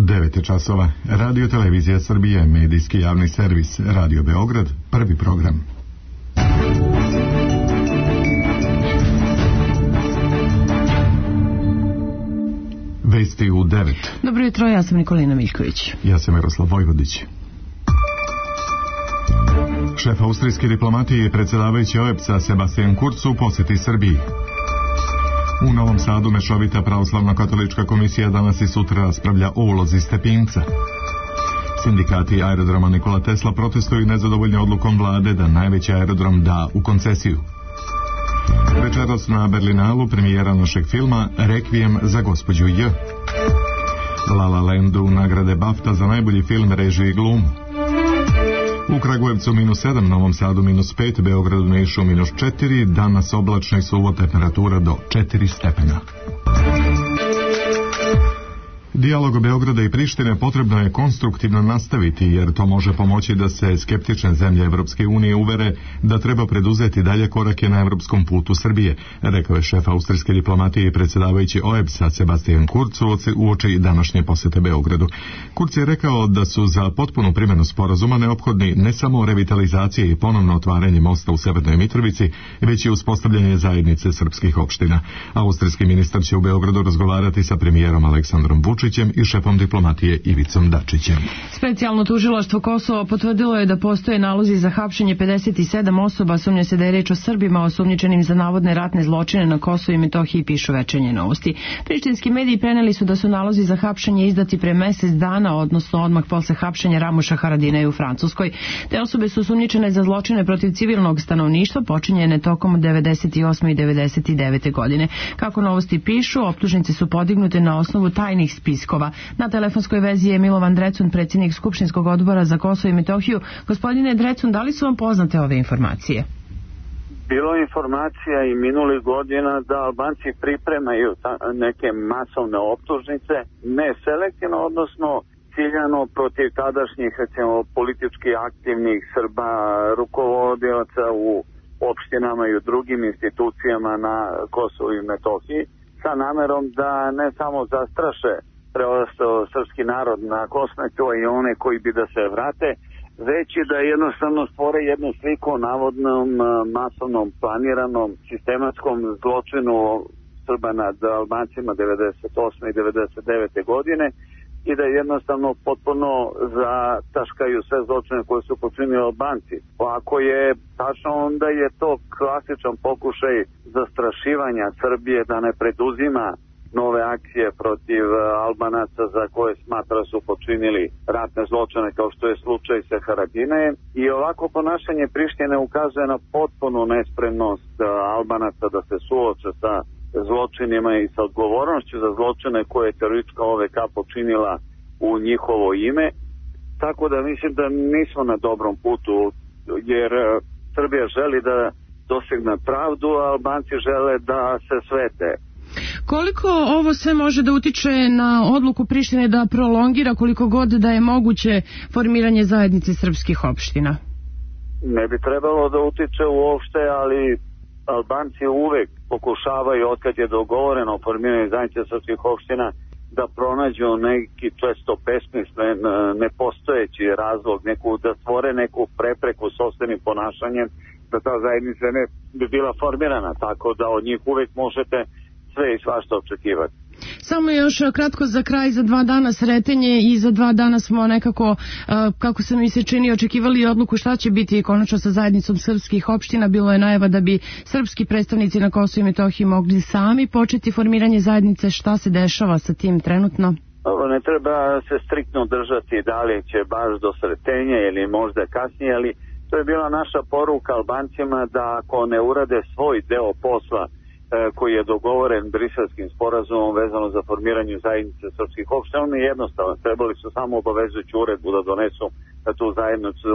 9 časova. Radio Televizija Srbije, medijski javni servis, Radio Beograd, prvi program. Vesti u 9. Dobro jutro, ja sam Nikolina Miljković. Ja sam Miroslav Vojvodić. Šef austrijske diplomatije i predsjedavajući OEBS-a Sebastian Kurz u posjeti Srbiji. U Novom Sadu mešovita pravoslavno-katolička komisija danas i sutra raspravlja o ulozi Stepinca. Sindikati aerodroma Nikola Tesla protestuju nezadovoljni odlukom vlade da najveći aerodrom da u koncesiju. Večeras na Berlinalu premijera našeg filma Rekvijem za gospođu J. La La Landu nagrade BAFTA za najbolji film, režiju i glumu. U Kragujevcu -7, Novom Sadu -5, Beogradu, Nišu -4, danas oblačno i suvo, temperatura do 4 stepena. Dijalog Beograda i Prištine potrebno je konstruktivno nastaviti, jer to može pomoći da se skeptične zemlje Evropske unije uvere da treba preduzeti dalje korake na evropskom putu Srbije, rekao je šef austrijske diplomatije i predsjedavajući OEBS-a Sebastian Kurz uoči današnje posete Beogradu. Kurz je rekao da su za potpunu primjenu sporazuma neophodni ne samo revitalizacije i ponovno otvaranje mosta u Severnoj Mitrovici, već i uspostavljanje zajednice srpskih opština. Austrijski ministar će u Beogradu razgovarati sa premijerom Aleksandrom Vučićem i šefom diplomatije Ivicom Dačićem. Specijalno tužilaštvo Kosova potvrdilo je da postoje nalozi za hapšenje 57 osoba, sumnja se da je reč o Srbima osumnjičenim za navodne ratne zločine na Kosovu i Metohiji, pišu Večernje novosti. Prištinski mediji preneli su da su nalozi za hapšenje izdati pre mesec dana, odnosno odmah posle hapšenja Ramuša Haradinaja u Francuskoj. Te osobe su osumnjičene za zločine protiv civilnog stanovništva počinjene tokom 98. i 99. godine. Kako novosti pišu, optužnice su podignute na osnovu tajnih spiskova. Na telefonskoj vezi je Milovan Drecun, predsjednik Skupštinskog odbora za Kosovo i Metohiju. Gospodine Drecun, da li su vam poznate ove informacije? Bilo je informacija i minulih godina da Albanci pripremaju neke masovne optužnice, ne selektivno, odnosno ciljano protiv tadašnjih, recimo, politički aktivnih Srba, rukovodioca u opštinama i u drugim institucijama na Kosovu i Metohiji, sa namerom da ne samo zastraše preostao srpski narod na Kosmetu i one koji bi da se vrate, već i da jednostavno stvore jednu sliku o navodnom masovnom planiranom sistematskom zločinu Srba nad Albancima 98. i 99. godine i da jednostavno potpuno zataškaju sve zločine koje su počinili Albanci. Ako je tačno, onda je to klasičan pokušaj zastrašivanja Srbije da ne preduzima nove akcije protiv Albanaca za koje smatra su počinili ratne zločine, kao što je slučaj sa Haradinajem. I ovako ponašanje Prištine ukazuje na potpunu nespremnost Albanaca da se suoče sa zločinima i sa odgovornošću za zločine koje je teroristička OVK počinila u njihovo ime. Tako da mislim da nismo na dobrom putu, jer Srbija želi da dosegne pravdu, a Albanci žele da se svete. Koliko ovo sve može da utiče na odluku Prištine da prolongira koliko god da je moguće formiranje zajednice srpskih opština? Ne bi trebalo da utiče uopšte, ali Albanci uvek pokušavaju, otkad je dogovoreno o formiranju zajednice srpskih opština, da pronađu neki često besmislen, nepostojeći razlog, da stvore neku prepreku sopstvenim ponašanjem, da ta zajednica ne bi bila formirana, tako da od njih uvek možete sve i svašta očekivati. Samo još kratko za kraj, za 2 dana sretenje i za 2 dana smo nekako, kako se mi se čini, očekivali odluku šta će biti konačno sa zajednicom srpskih opština. Bilo je najava da bi srpski predstavnici na Kosovu i Metohiji mogli sami početi formiranje zajednice. Šta se dešava sa tim trenutno? Ne treba se striktno držati da li će baš do sretenja ili možda kasnije, ali to je bila naša poruka Albancima da ako ne urade svoj deo posla koji je dogovoren Briselskim sporazumom vezano za formiranje zajednice srpskih opština, oni jednostavno trebali su samo obavezujuću uredbu da donesu da tu zajednicu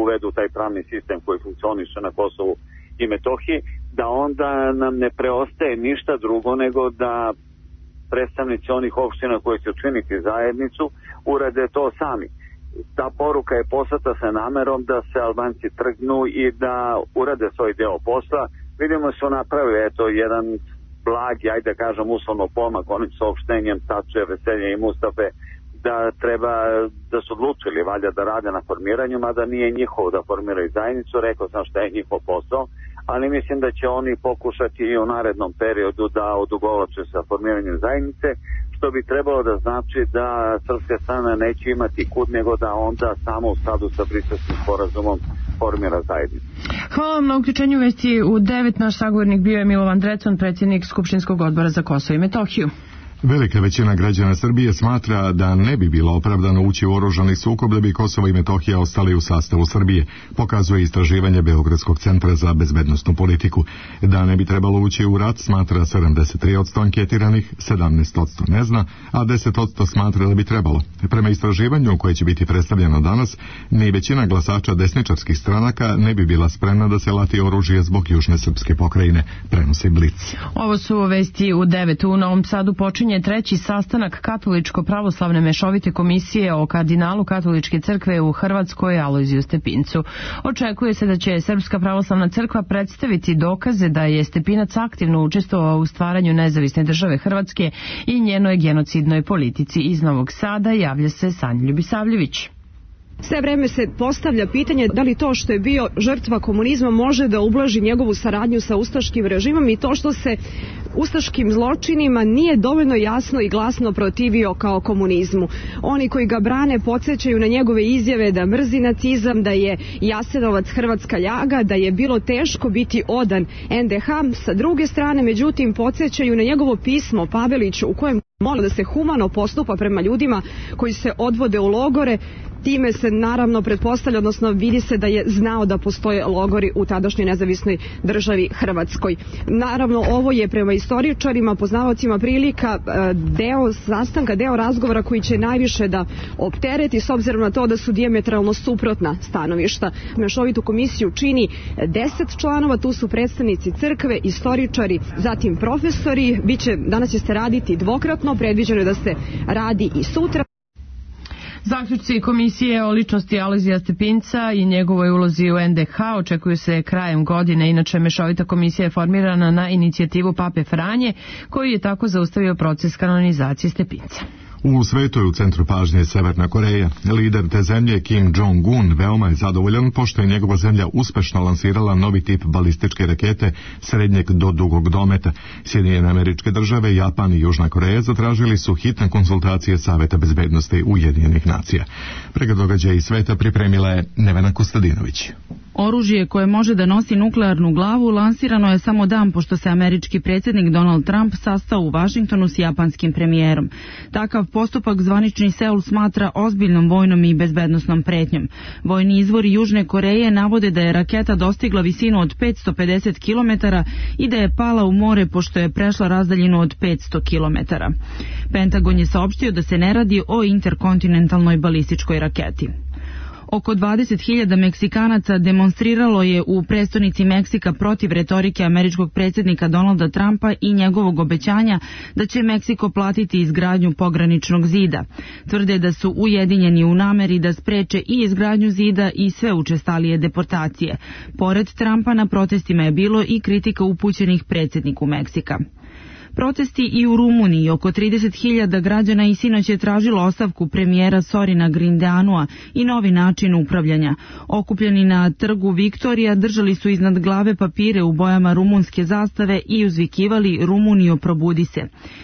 uvedu taj pravni sistem koji funkcioniše na Kosovu i Metohiji, da onda nam ne preostaje ništa drugo nego da predstavnici onih opština koji će učiniti zajednicu urade to sami. Ta poruka je poslata sa namerom da se Albanci trgnu i da urade svoj deo posla. Vidimo su napravili jedan blagi, ajde kažem uslovno pomak onim saopštenjem Tače, Veselja i Mustafe da treba, da su odlučili valjda da rade na formiranju, mada nije njihovo da formiraju zajednicu, rekao sam šta je njihov posao, ali mislim da će oni pokušati i u narednom periodu da odugovlače sa formiranjem zajednice, što bi trebalo da znači da srpska strana neće imati kud, nego da onda samo u skladu sa Briselskim sporazumom formira zajednicu. Hvala vam na uključenju vesti u 9. Naš sagovornik bio je Milovan Drecun, predsjednik Skupštinskog odbora za Kosovo i Metohiju. Velika većina građana Srbije smatra da ne bi bilo opravdano ući u oružani sukob da bi Kosovo i Metohija ostali u sastavu Srbije, pokazuje istraživanje Beogradskog centra za bezbednosnu politiku. Da ne bi trebalo ući u rat smatra 73% anketiranih, 17% ne zna, a 10% smatra da bi trebalo. Prema istraživanju koje će biti predstavljeno danas, ni većina glasača desničarskih stranaka ne bi bila spremna da se lati oružje zbog južne srpske pokrajine, prenosi Blic. Ovo su vesti u 9. U Novom Sadu počinje treći sastanak Katoličko-pravoslavne mešovite komisije o kardinalu Katoličke crkve u Hrvatskoj Alojziju Stepincu. Očekuje se da će Srpska pravoslavna crkva predstaviti dokaze da je Stepinac aktivno učestvovao u stvaranju nezavisne države Hrvatske i njenoj genocidnoj politici. Iz Novog Sada javlja se Sanja Ljubisavljević. Sve vreme se postavlja pitanje da li to što je bio žrtva komunizma može da ublaži njegovu saradnju sa ustaškim režimom i to što se ustaškim zločinima nije dovoljno jasno i glasno protivio kao komunizmu. Oni koji ga brane podsjećaju na njegove izjave da mrzi nacizam, da je Jasenovac hrvatska ljaga, da je bilo teško biti odan NDH. Sa druge strane, međutim, podsjećaju na njegovo pismo Paveliću u kojem moli da se humano postupa prema ljudima koji se odvode u logore. Time se naravno pretpostavlja, odnosno vidi se da je znao da postoje logori u tadašnjoj nezavisnoj državi Hrvatskoj. Naravno, ovo je prema istoričarima, poznavaocima prilika deo sastanka, deo razgovora koji će najviše da optereti s obzirom na to da su dijametralno suprotna stanovišta. Mešovitu komisiju čini 10 članova, tu su predstavnici crkve, istoričari, zatim profesori. Danas će se raditi dvokratno, predviđeno je da se radi i sutra. Zaključci komisije o ličnosti Alojzija Stepinca i njegovoj ulozi u NDH očekuju se krajem godine. Inače, mešovita komisija je formirana na inicijativu Pape Franje, koji je tako zaustavio proces kanonizacije Stepinca. U svetu je u centru pažnje Severna Koreja. Lider te zemlje Kim Jong-un veoma je zadovoljan pošto je njegova zemlja uspešno lansirala novi tip balističke rakete srednjeg do dugog dometa. Sjedinjene Američke Države, Japan i Južna Koreja zatražili su hitne konsultacije Saveta bezbednosti Ujedinjenih nacija. Pregled događaja iz sveta pripremila je Nevena Kostadinović. Oružje koje može da nosi nuklearnu glavu lansirano je samo dan pošto se američki predsjednik Donald Trump sastao u Vašingtonu s japanskim premijerom. Takav postupak zvanični Seul smatra ozbiljnom vojnom i bezbednosnom pretnjom. Vojni izvori Južne Koreje navode da je raketa dostigla visinu od 550 km i da je pala u more pošto je prešla razdaljinu od 500 km. Pentagon je saopštio da se ne radi o interkontinentalnoj balističkoj raketi. Oko 20.000 Meksikanaca demonstriralo je u prestonici Meksika protiv retorike američkog predsjednika Donalda Trumpa i njegovog obećanja da će Meksiko platiti izgradnju pograničnog zida. Tvrde da su ujedinjeni u nameri da spreče i izgradnju zida i sve učestalije deportacije. Pored Trumpa na protestima je bilo i kritika upućenih predsjedniku Meksika. Protesti i u Rumuniji. Oko 30.000 građana i sinoć je tražilo ostavku premijera Sorina Grindeanua i novi način upravljanja. Okupljeni na trgu Viktorija držali su iznad glave papire u bojama rumunske zastave i uzvikivali Rumunijo probudi se.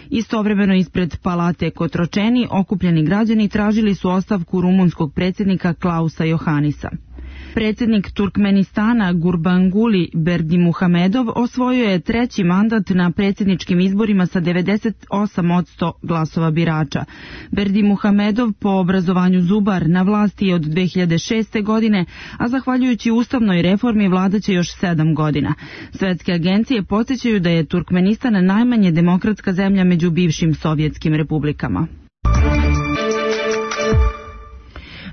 Istovremeno ispred palate Kotročeni okupljeni građani tražili su ostavku rumunskog predsjednika Klausa Johanisa. Predsjednik Turkmenistana Gurbanguly Berdimuhamedov osvojio je treći mandat na predsjedničkim izborima sa 98% glasova birača. Berdimuhamedov po obrazovanju zubar na vlasti je od 2006. godine, a zahvaljujući ustavnoj reformi vladaće još 7 godina. Svetske agencije podsjećaju da je Turkmenistan najmanje demokratska zemlja među bivšim sovjetskim republikama.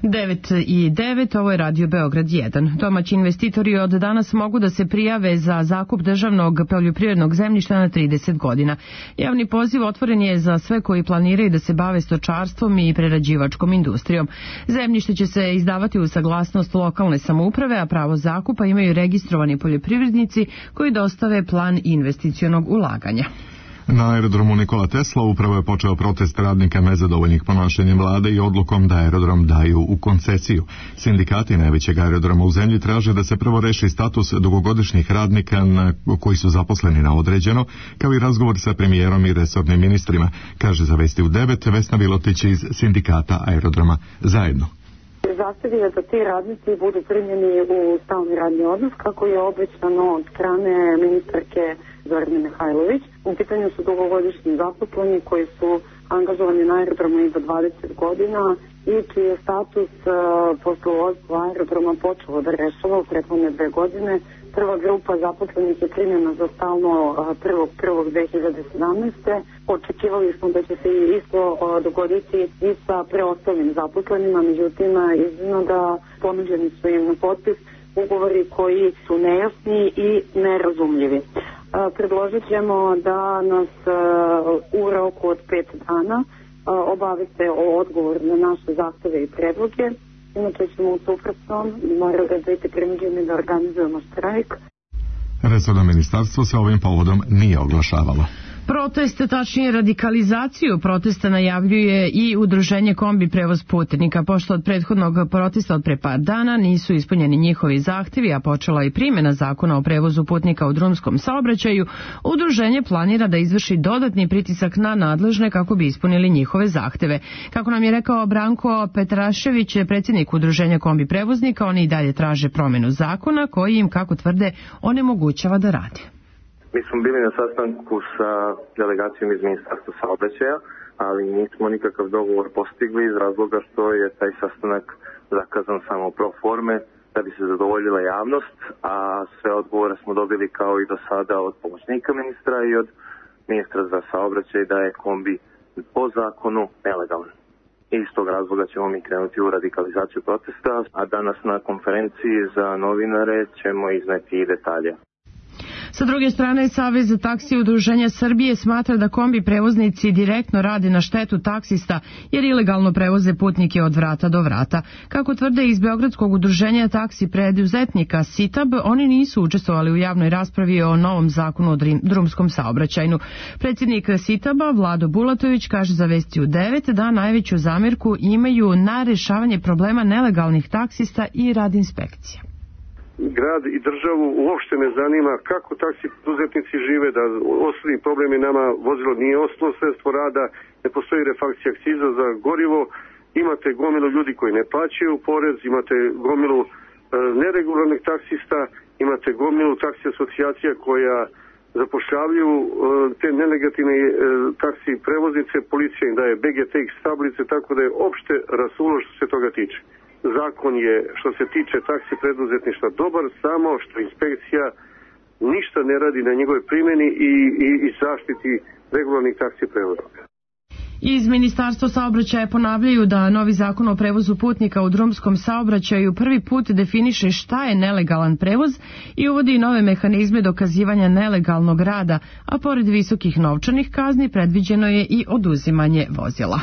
9:09, ovo je Radio Beograd 1. Domaći investitori od danas mogu da se prijave za zakup državnog poljoprivrednog zemljišta na 30 godina. Javni poziv otvoren je za sve koji planiraju da se bave stočarstvom i prerađivačkom industrijom. Zemljište će se izdavati uz saglasnost lokalne samouprave, a pravo zakupa imaju registrovani poljoprivrednici koji dostave plan investicionog ulaganja. Na aerodromu Nikola Tesla upravo je počeo protest radnika nezadovoljnih ponašanjem vlade i odlukom da aerodrom daju u koncesiju. Sindikati najvećeg aerodroma u zemlji traže da se prvo reši status dugogodišnjih radnika koji su zaposleni na određeno, kao i razgovor sa premijerom i resornim ministrima, kaže za Vesti u 9 Vesna Vilotić iz sindikata aerodroma Zajedno. Zahtev je da ti radnici budu primljeni u stalni radni odnos, kako je obećano od strane ministarke Zorane Mihajlović. U pitanju su dugogodišnji zaposleni koji su angažovani na aerodromu i do 20 godina i čiji je status poslovodstva aerodroma počelo da rešava u prethodne 2 godine. Prva grupa zaposlenih je primljena za stalno 1.1.2017. Očekivali smo da će se isto dogoditi i sa preostalim zaposlenima, međutim izgleda da ponuđeni su im na potpis ugovori koji su nejasni i nerazumljivi. Predložit ćemo da nas u roku od 5 dana obavite o odgovor na naše zahteve i predloge. Inače ćemo u suprotnom morali da biti prinuđeni da organizujemo štrajk. Resorno ministarstvo se ovim povodom nije oglašavalo. Proteste, tačnije radikalizaciju protesta najavljuje i udruženje Kombi prevoz putnika. Pošto od prethodnog protesta od pre par dana nisu ispunjeni njihovi zahtevi, a počela i primjena zakona o prevozu putnika u drumskom saobraćaju, udruženje planira da izvrši dodatni pritisak na nadležne kako bi ispunili njihove zahteve. Kako nam je rekao Branko Petrašević, predsjednik udruženja Kombi prevoznika, oni i dalje traže promjenu zakona koji im, kako tvrde, onemogućava da rade. Mi smo bili na sastanku sa delegacijom iz Ministarstva saobraćaja, ali nismo nikakav dogovor postigli iz razloga što je taj sastanak zakazan samo pro forme da bi se zadovoljila javnost, a sve odgovore smo dobili kao i do sada od pomoćnika ministra i od ministra za saobraćaj da je kombi po zakonu nelegalan. I iz tog razloga ćemo mi krenuti u radikalizaciju protesta, a danas na konferenciji za novinare ćemo izneti i detalje. Sa druge strane, Savez za taksi udruženja Srbije smatra da kombi prevoznici direktno rade na štetu taksista jer ilegalno prevoze putnike od vrata do vrata. Kako tvrde iz Beogradskog udruženja taksi preduzetnika SITAB, oni nisu učestvovali u javnoj raspravi o novom zakonu o drumskom saobraćajnu. Predsjednik SITAB-a Vlado Bulatović kaže za Vesti u 9 da najveću zamerku imaju na rešavanje problema nelegalnih taksista i rad inspekcija. Grad i državu uopšte ne zanima kako taksi preduzetnici žive, da osnovni problem je nama vozilo nije osnovno sredstvo rada, ne postoji refakcija akciza za gorivo, imate gomilu ljudi koji ne plaćaju porez, imate gomilu neregularnih taksista, imate gomilu taksi asocijacija koja zapošljavaju te nelegativne taksi prevoznice, policija im daje BGTX tablice, tako da je opšte rasulo što se toga tiče. Zakon je, što se tiče taksi preduzetništva, dobar, samo što inspekcija ništa ne radi na njegove primjeni i zaštiti regularnih taksi prevoznika. Iz Ministarstva saobraćaja ponavljaju da novi zakon o prevozu putnika u drumskom saobraćaju prvi put definiše šta je nelegalan prevoz i uvodi nove mehanizme dokazivanja nelegalnog rada, a pored visokih novčanih kazni predviđeno je i oduzimanje vozila.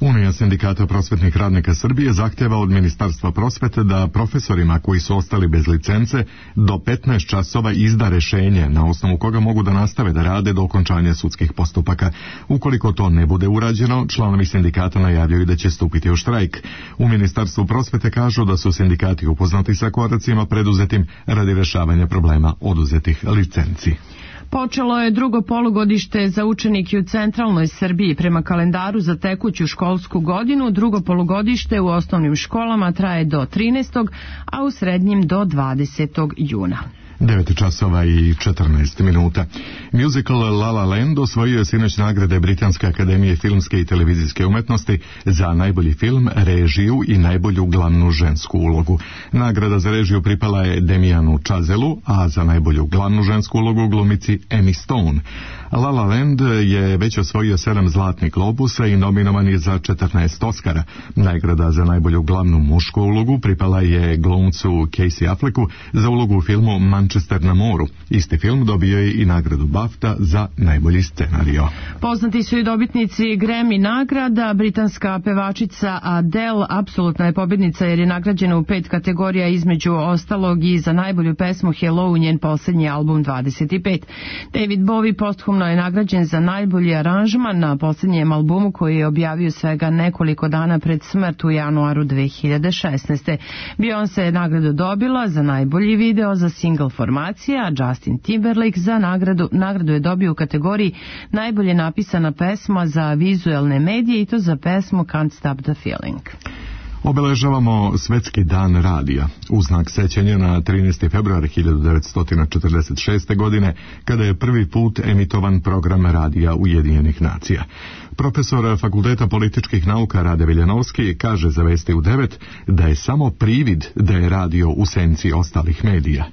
Unija sindikata prosvetnih radnika Srbije zahtjeva od Ministarstva prosvete da profesorima koji su ostali bez licence do 15 časova izda rješenje na osnovu koga mogu da nastave da rade do okončanja sudskih postupaka. Ukoliko to ne bude urađeno, članovi sindikata najavljaju da će stupiti u štrajk. U Ministarstvu prosvete kažu da su sindikati upoznati sa koracima preduzetim radi rješavanja problema oduzetih licenci. Počelo je drugo polugodište za učenike u centralnoj Srbiji. Prema kalendaru za tekuću školsku godinu, drugo polugodište u osnovnim školama traje do 13. a u srednjim do 20. juna. 9 časova i 14 minuta. Musical La La Land osvojio je sinoć nagrade Britanske akademije filmske i televizijske umetnosti za najbolji film, režiju i najbolju glavnu žensku ulogu. Nagrada za režiju pripala je Damianu Chazelu, a za najbolju glavnu žensku ulogu glumici Emmy Stone. La La Land je već osvojio 7 zlatnih globusa i nominovan je za 14 Oscara. Nagrada za najbolju glavnu mušku ulogu pripala je glumcu Casey Afflecku za ulogu u filmu Manchester na moru. Isti film dobio je i nagradu BAFTA za najbolji scenario. Poznati su i dobitnici Grammy nagrada. Britanska pevačica Adele apsolutna je pobjednica jer je nagrađena u 5 kategorija, između ostalog i za najbolju pesmu Hello, njen posljednji album 25. David Bowie posthumno je nagrađen za najbolji aranžman na posljednjem albumu koji je objavio svega nekoliko dana pred smrt u januaru 2016. Beyoncé je nagradu dobila za najbolji video za single formacija, a Justin Timberlake za nagradu je dobio u kategoriji najbolje napisana pesma za vizuelne medije i to za pesmu Can't Stop the Feeling. Obeležavamo Svetski dan radija u znak sećanja na 13. februar 1946. godine, kada je prvi put emitovan program radija Ujedinjenih nacija. Profesor Fakulteta političkih nauka Rade Veljanovski kaže za Vesti u 9 da je samo privid da je radio u senci ostalih medija.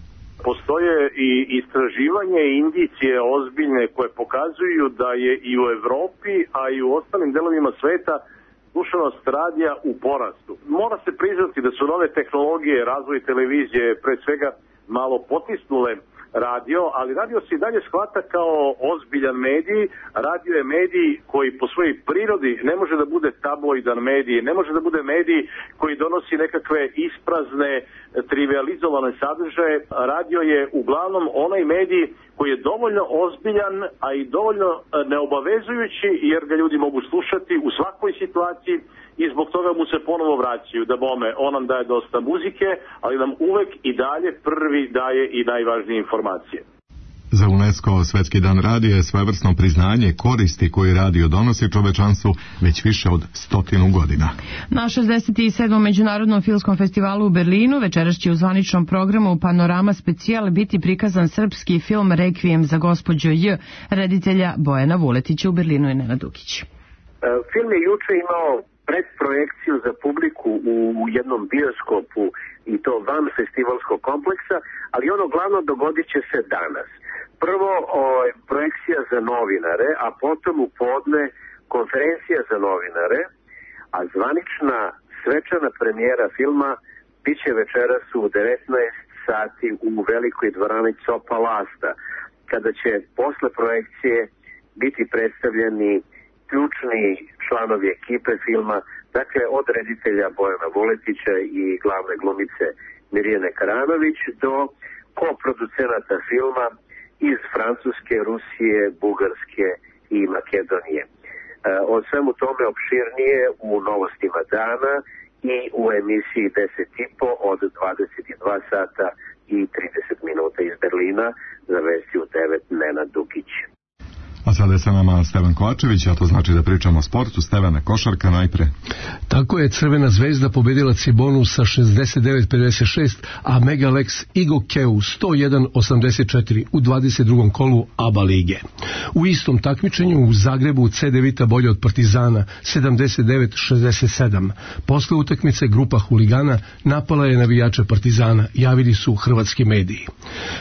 Postoje i istraživanje i indicije ozbiljne koje pokazuju da je i u Evropi, a i u ostalim delovima sveta slušanost radija u porastu. Mora se priznati da su nove tehnologije, razvoj televizije, pre svega malo potisnule radio, ali radio se i dalje shvata kao ozbiljan medij. Radio je medij koji po svojoj prirodi ne može da bude tabloidan medij, ne može da bude medij koji donosi nekakve isprazne, trivializovane sadržaje. Radio je uglavnom onaj medij koji je dovoljno ozbiljan, a i dovoljno neobavezujući, jer ga ljudi mogu slušati u svakoj situaciji i zbog toga mu se ponovo vraćaju. Da bome, on nam daje dosta muzike, ali nam uvek i dalje prvi daje i najvažnije informacije. Za UNESCO Svetski dan radija je svojevrsno priznanje koristi koje radio donosi čovečanstvu već više od 100 godina. Na 67. Međunarodnom filmskom festivalu u Berlinu večeras će u zvaničnom programu Panorama specijal biti prikazan srpski film Rekvijem za gospođo J, reditelja Bojana Vuletića. U Berlinu je Nenad Dukić. Film je juče imao predprojekciju za publiku u jednom bioskopu i to van festivalskog kompleksa, ali ono glavno dogodit će se danas. Prvo projekcija za novinare, a potom u podne konferencija za novinare, a zvanična svečana premijera filma biće večeras u 19 sati u velikoj dvorani Copa Lasta, kada će posle projekcije biti predstavljeni ključni članovi ekipe filma, dakle od reditelja Bojana Vuletića i glavne glumice Mirjane Karanović do koproducenata filma iz Francuske, Rusije, Bugarske i Makedonije. O svemu tome opširnije u Novostima dana i u emisiji 10.5 od 22 sata i 30 minuta iz Berlina. Za Vesti u 9 Nenad Dukić. A sada je sa nama Stevan Kovačević, a to znači da pričamo o sportu. Stevane, košarka najpre. Tako je, Crvena zvezda pobedila Cibonu sa 69-56, a Megalex Igokeu 101-84 u 22. kolu ABA lige. U istom takmičenju u Zagrebu C9 bolje od Partizana 79-67. Posle utakmice grupa huligana napala je navijače Partizana, javili su hrvatski mediji.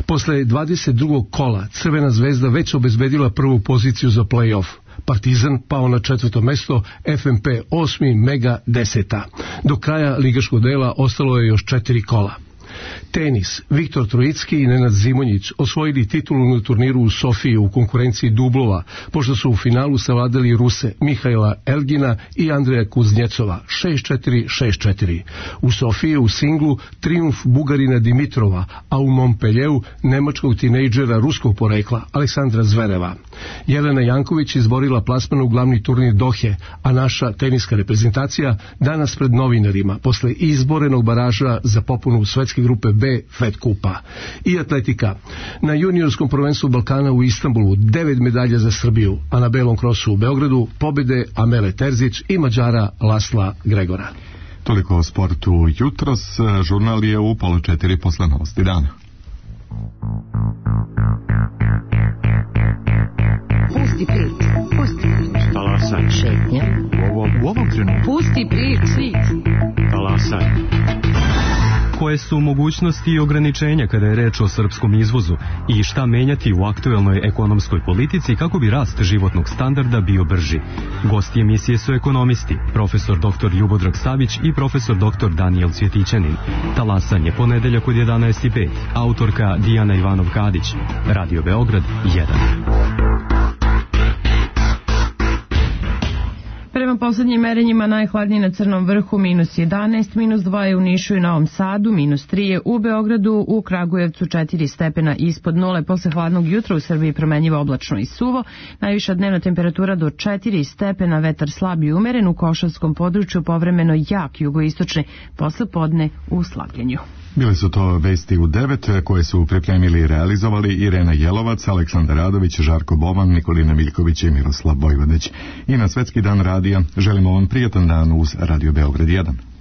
Posle 22. kola Crvena zvezda već obezbedila prvu poziciju za play-off. Partizan pao na 4. mesto, FNP 8, Mega 10. Do kraja ligaškog dela ostalo je još 4 kola. Tenis. Viktor Trojicki i Nenad Zimonjić osvojili titulu na turniru u Sofiji u konkurenciji dublova, pošto su u finalu savladali Ruse Mihajla Elgina i Andreja Kuznjecova 6-4, 6-4. U Sofiji u singlu trijumf Bugarina Dimitrova, a u Montpellieru nemačkog tinejdžera ruskog porekla Aleksandra Zvereva. Jelena Janković izborila plasman u glavni turnir Dohe, a naša teniska reprezentacija danas pred novinarima posle izborenog baraža za popunu svetske grupe B Fed Kupa. I atletika. Na juniorskom prvenstvu Balkana u Istanbulu 9 medalja za Srbiju, a na belom krosu u Beogradu pobjede Amele Terzić i Mađara Lasla Gregora. Toliko o sportu jutros. Žurnal je u 3:30 posle Novosti dana. Pusti prič, pusti prič. Talasaj. Šetnja. U ovom trenutku. Pusti prič. Talasaj. Koje su mogućnosti i ograničenja kada je reč o srpskom izvozu i šta menjati u aktuelnoj ekonomskoj politici kako bi rast životnog standarda bio brži? Gosti emisije su ekonomisti, profesor dr. Ljubodrag Savić i profesor dr. Danijel Cvjetićanin. Talasanje ponedeljak od 11:05. Autorka Dijana Ivanov-Kadić. Radio Beograd 1. Prema poslednjim merenjima najhladnije na Crnom vrhu -11, -2 je u Nišu i Novom Sadu, -3 je u Beogradu, u Kragujevcu 4 stepena ispod nule. Posle hladnog jutra u Srbiji promenjivo oblačno i suvo, najviša dnevna temperatura do 4 stepena, vetar slab i umeren, u Košavskom području povremeno jak jugoistočni, posle podne u slabljenju. Bile su to vesti u 9 koje su pripremili i realizovali Irena Jelovac, Aleksandar Radović, Žarko Boban, Nikolina Miljković i Miroslav Vojvodić. I na Svetski dan radija želimo vam prijatan dan uz Radio Beograd 1.